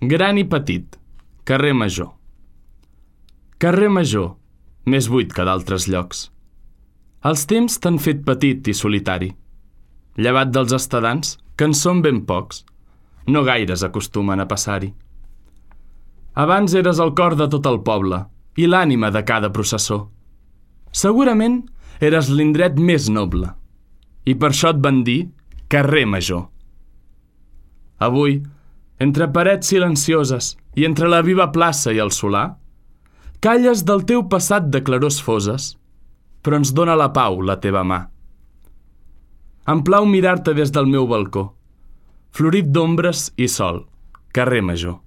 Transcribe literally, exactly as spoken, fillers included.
Gran i petit, carrer Major. Carrer Major, més buit que d'altres llocs. Els temps t'han fet petit i solitari. Llevat dels estadants, que en són ben pocs, no gaires acostumen a passar-hi. Abans eres el cor de tot el poble i l'ànima de cada processó. Segurament eres l'indret més noble i per això et van dir carrer Major. Avui, entre parets silencioses i entre la viva plaça i el solar, calles del teu passat de clarors foses, però ens dóna la pau la teva mà. Em plau mirar-te des del meu balcó, florit d'ombres i sol, carrer Major.